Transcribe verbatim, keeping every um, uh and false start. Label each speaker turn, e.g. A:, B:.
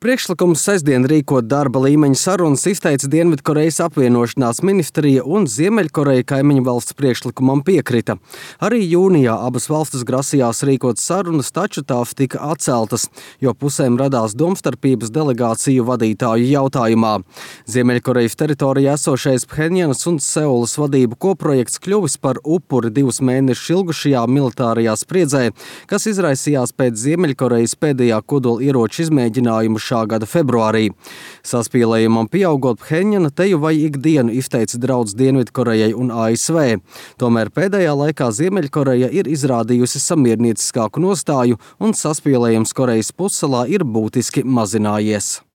A: Priekšlikums sestdien rīkot darba līmeņa sarunas izteica Dienvidkorejas apvienošanās ministrija un Ziemeļkoreja kaimiņu valsts priekšlikumam piekrita. Arī jūnijā abas valstis grasījās rīkot sarunas, taču tās tika atceltas, jo pusēm radās domstarpības delegāciju vadītāju jautājumā. Ziemeļkorejas teritorijā esošais Phenjanas un Seulas vadību koprojekts kļuvis par upuri divus mēnešus ilgušajā militārajā spriedzē, kas izraisījās pēc Ziemeļkorejas pēdējā kodola ieroču izmēģinājuma šā gada februārī. Saspīlējumam pieaugot, Phenjana teju vai ikdienu izteica draudz Dienvidkorejai un A S V. Tomēr pēdējā laikā Ziemeļkoreja ir izrādījusi samiernieciskāku nostāju un saspīlējums Korejas pussalā ir būtiski mazinājies.